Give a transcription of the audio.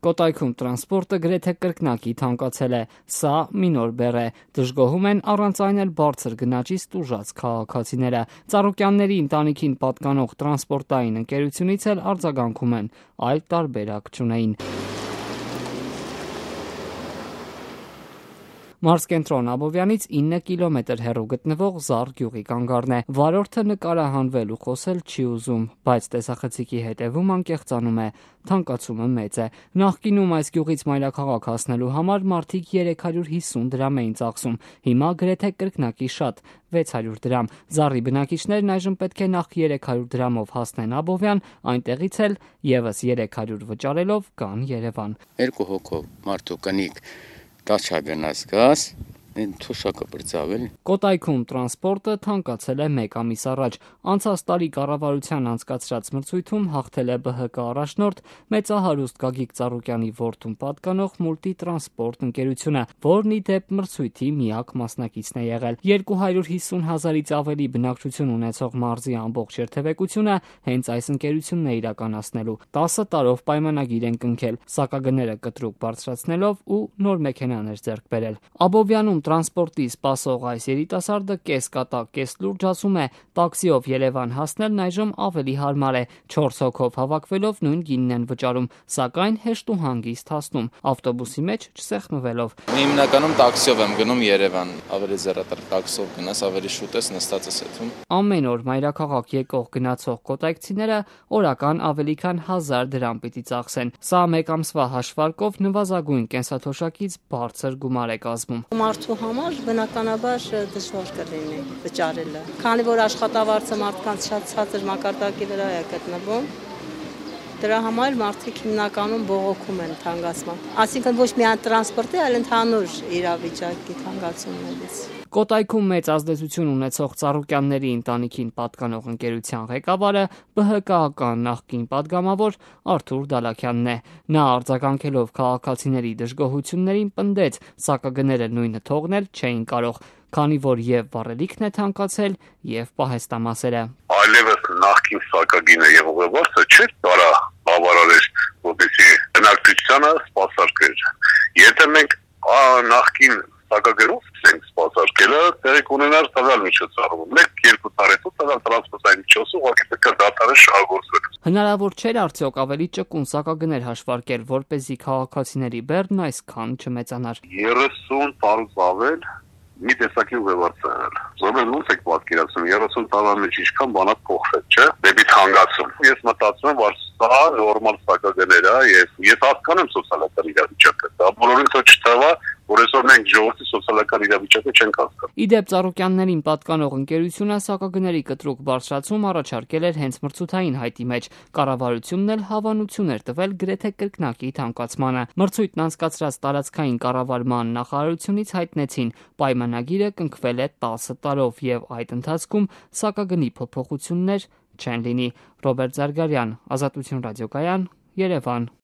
Կոտայքում տրանսպորտը գրեթե կրկնակի թանկացել է, սա մի նոր բեռ է, դժգոհում են առանց այն էլ բարձր գնաճից տուժած քաղաքացիները, Ծառուկյանների ընտանիքին պատկանող տրանսպորտային ընկերությունից էլ արձագանքում են, այլ տարբերակ չունեին։ Մարզկենտրոն Աբովյանից 9 կիլոմետր հեռու գտնվող Զառ գյուղի կանգառն է, վարորդը նկարահանվել ու խոսել չի ուզում, բայց տեսախցիկի հետևում անկեղծանում է, թանկացումը մեծ է, նախկինում այս գյուղից մայրաքաղաք հասնելու համար մարդիկ 350 դրամ էին ծախսում, հիմա գրեթե կրկնակի շատ, 600 դրամ, Զառի բնակիչներն այժմ պետք է նախ 300 դրամով հասնեն Աբովյան, այնտեղից էլ եւս 300 վճարելով գան Երևան։ Երկու հոգով մարդու կնիկ Տաչա գնաց գազ, թոշակը բրձավել։ Կոտայքում տրանսպորտը թանկացել է 1 ամիս առաջ, անցած տարի կառավարության անցկացրած մրցույթում հաղթել է ԲՀԿ առաջնորդ մեծահարուստ Գագիկ Ծառուկյանի որդուն պատկանող Մուլտիտրանսպորտ ընկերությունը, որն ի դեպ մրցույթի միակ մասնակիցն է եղել։ 250,000-ից ավելի բնակչություն ունեցող մարզի ամբողջ երթևեկությունը հենց այս ընկերությունն է իրականացնելու։ 10 տարով պայմանագիր են կնքել, սակագները կտրուկ բարձրացնելով ու նոր մեքենաներ ձեռք բերել։ Աբովյանում տրանսպորտի սպասող այս երիտասարդը կես կատակ, կես լուրջ ասում է, տաքսիով Երևան հասնելն այժմ ավելի հարմար է, 4 հոգով հավաքվելով նույն գինն են վճարում, սակայն հեշտ ու հանգիստ հասնում, ավտոբուսի մեջ չսեղմվելով։ Հիմնականում տաքսիով եմ գնում Երևան, ավելի ձեռատար տաքսիով գնաս, ավելի շուտ ես նստած ես այդում։ Ամեն օր մայրաքաղաք եկող գնացող կոտայքցիները օրական ավելի քան 1000 դրամ պիտի ծախսեն։ Սա 1 ամսվա հաշվարկով նվազագույն կենսաթոշակից բարձր գումար է կազմում։ Մարդու համար բնականաբար դժվար կլինի վճարելը, քանի որ աշխատավարձը մարդկանց շատ ցածր մակարդակի վրա է գտնվում, դրա համար մարդիկ հիմնականում բողոքում են թանկացման, այսինքն ոչ միայն տրանսպորտի, այլ ընդհանուր իրավիճակի թանկացումներից։ Կոտայքում մեծ ազդեցություն ունեցող Ծառուկյանների ընտանիքին պատկանող ընկերության ղեկավարը ԲՀԿ-ական նախկին падգամավոր Արթուր Դալաքյանն է։ Նա արձագանքելով քաղաքացիների դժգոհություններին պնդեց, սակագները նույնը թողնել չէին կարող, քանի որ եւ վառելիքն է թանկացել, եւ պահեստամասերը։ Այլևս նախկին սակագինը եւ ուղևորը չէր տարա բավարարել, որպեսզի բնակչությանը սպասարկեր։ Եթե մենք նախկին սակագերով ենք սպասարկելը, տեղի կունենար տվյալ միջոցառում։ 1-2 տարի հետո տվյալ տրանսպորտային միջոցը ուղղակի պետք է դադարել շահագործվել։ Հնարավոր չէր արդյոք ավելի ճկուն սակագներ հաշվարկել, որպեսզի քաղաքացիների բեռն այսքան չմեծանար։ 30 տարուց ավել մի տեսակի ուղևորց եղել։ Զորմեն ոնց եք պատկերացնում 30 տարվա մեջ ինչքան բանակ փոխվել, չէ՞։ Դեպի թանկացում։ Ես մտածում եմ, որ սա նորմալ սակագներ է եւ ես հասկանում սոցիալական իրավիճակը։ Դա բոլորին թող չթվա, որ այսօր մենք ժողովրդի սոցիալական իրավիճակը չենք հասկանում։ Ի դեպ Ծառուկյաններին պատկանող ընկերությունը սակագների կտրուկ բարձրացում առաջարկել էր հենց մրցութային հայտի մեջ։ Կառավարությունն էլ հավանություն էր տվել գրեթե կրկնակի թանկացմանը։ Մրցույթն անցկացրած տարածքային կառավարման նախարարությունից հայտնեցին, պայմանագիրը կնքվել է 10 տարով եւ այդ ընթացքում սակագնի փոփոխություններ չեն լինի։ Ռոբերտ Զարգարյան, Ազատություն ռադիոկայան, Երևան։